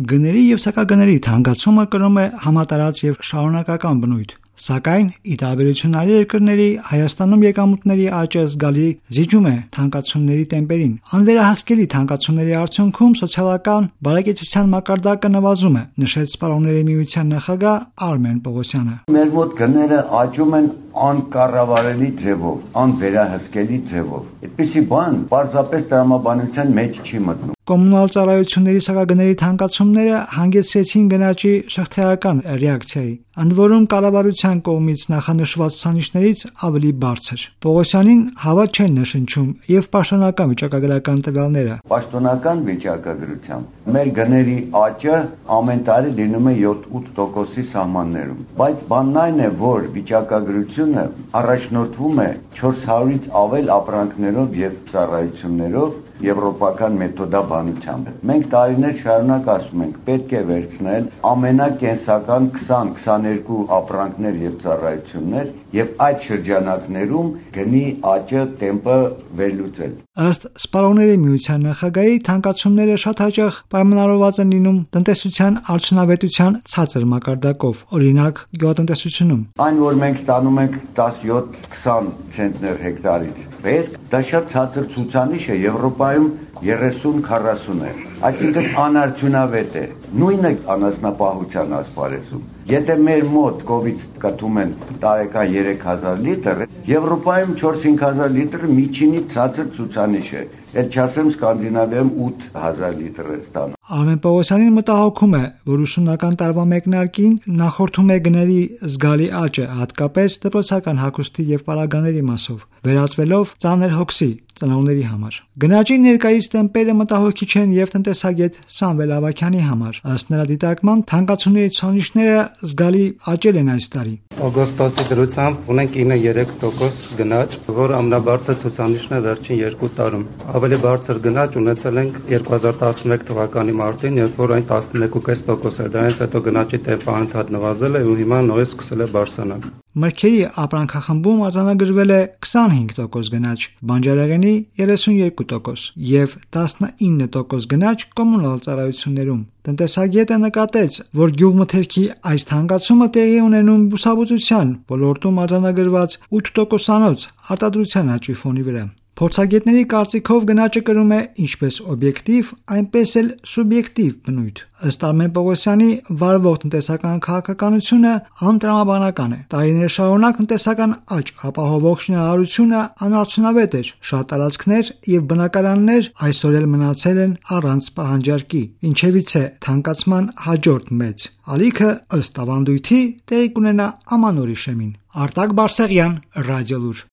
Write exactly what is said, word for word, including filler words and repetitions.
Գների եւ սակագների թանկացումը կրում է համատարած եւ շարունակական բնույթ, սակայն ի տարբերություն այլ երկրների Հայաստանում եկամուտների աճը զգալի զիջում է թանկացումների տեմպերին։ Անվերահսկելի թանկացումների արդյունքում սոցիալական բարեկեցության մակարդակը նվազում է, նշեց Սպառողների միության նախագահ Արմեն Պողոսյանը։ Մեր մոտ գները աճում են անկառավարելի ձևով, անվերահսկելի ձևով։ Այդպիսի բան պարզապես տրամաբանության մեջ չի մտնում։ Կոմունալ ծառայությունների սակագների թանկացումները հանգեցրեցին գնաճի շղթայական ռեակցիայի, ընդ որում կառավարության կողմից նախանշված ցուցանիշներից ավելի բարձր։ Պողոսյանին հավատ չեն նշնչում եւ պաշտոնական վիճակագրական տվյալները։ Պաշտոնական վիճակագրությամբ մեր գների աճը ամեն տարի լինում է յոթ-ութ տոկոսի սահմաններում, բայց բանն այն է, որ վիճակագրությունը առաջնորդվում է չորս հարյուրից ավել ապրանքներով եւ ծառայություններով եվրոպական մեթոդաբանությամբ։ Մենք տարիներ շարունակ ասում ենք, պետք է վերցնել ամենակենսական քսան-քսաներկու ապրանքներ եւ ծառայություններ եւ այդ շրջանակներում գնի աճը տեմպը վերլուծել։ Ըստ Սպառողների միության նախագահի, թանկացումները շատ հաճախ պայմանավորված են լինում տնտեսության արդյունավետության ցածր մակարդակով, օրինակ գյուղատնտեսությունում։ Այն, որ մենք ստանում ենք տասնյոթ-քսան ցենտներ հեկտարից վեր, դա շատ ցածր ցուցանիշ է, Եվրոպայում երեսուն-քառասուն է, այսինքն անարդյունավետ է։ Նույնը անասնապահության ասպարեզում։ Եթե մեր մոտ կովիդ կտում են տարեկան երեք հազար լիտր, Եվրոպայում չորս-հինգ հազար լիտրը միջինի ցածր ցուցանիշ է։ Այդ չասեմ Սկանդինավիայում ութ հազար լիտր է ստանում։ Արմեն Պողոսյանին մտահոգում է, որ ուսումնական տարվա մեկնարկին նախորդում է գների զգալի աճը, հատկապես դպրոցական հագուստի եւ պարագաների մասով, վերածվելով ծանր հոգսի ծնողների համար։ Գնաճի ներկայիս տեմպերը մտահոգիչ են եւ տնտեսագետ Սամվել Ավագյանի համար։ Ըստ նրա դիտարկման, թանկացումների ցուցանիշները զգալի աճել են այս տարի։ Օգոստոսի դրությամբ ունենք ինը երեք տոկոս գնաճ, որ ամենաբարձր ցուցանիշն է վերջին երկու տարում։ Ավելի բարձր գնաճ ունեցել ենք երկու հազար տասնմեկ թվականի մարտին, երբ որ այն տասնմեկ կես տոկոս էր, դրանից հետո գնաճի տեմպը անընդհատ նվազել է ու հիմա նույնիսկ սկսել է բարձրանալ։ Մրգերի ապրանքախմբում արձանագրվել է քսանհինգ տոկոս գնաճ, բանջարեղենի երեսունյոթ տոկոս եւ տասնինը տոկոս գնաճ կոմունալ ծառայություններում։ Տնտեսագետը նկատեց, որ գյուղմթերքի այս թանկացումը տեղի ունենում բուսաբուծության ոլորտում արձանագրված ութ տոկոսանոց արտադրության աճի ֆոնի վրա։ Փորձագետների կարծիքով գնաճը կրում է ինչպես օբյեկտիվ, այնպես էլ սուբյեկտիվ բնույթ։ Ըստ Արմեն Պողոսյանի, վարվող տնտեսական քաղաքականությունը անտրամաբանական է։ Տարիներ շարունակ տնտեսական աճ ապահովող շինարարությունը անարդյունավետ էր։ Շատ տարածքներ եւ բնակարաններ այսօր էլ մնացել են առանց պահանջարկի, ինչևից է թանկացման հաջորդ մեծ ալիքը ըստ ավանդույթի տեղի կունենա ամանորի շեմին։ Արտակ Բարսեղյան, Ռադիոլուր։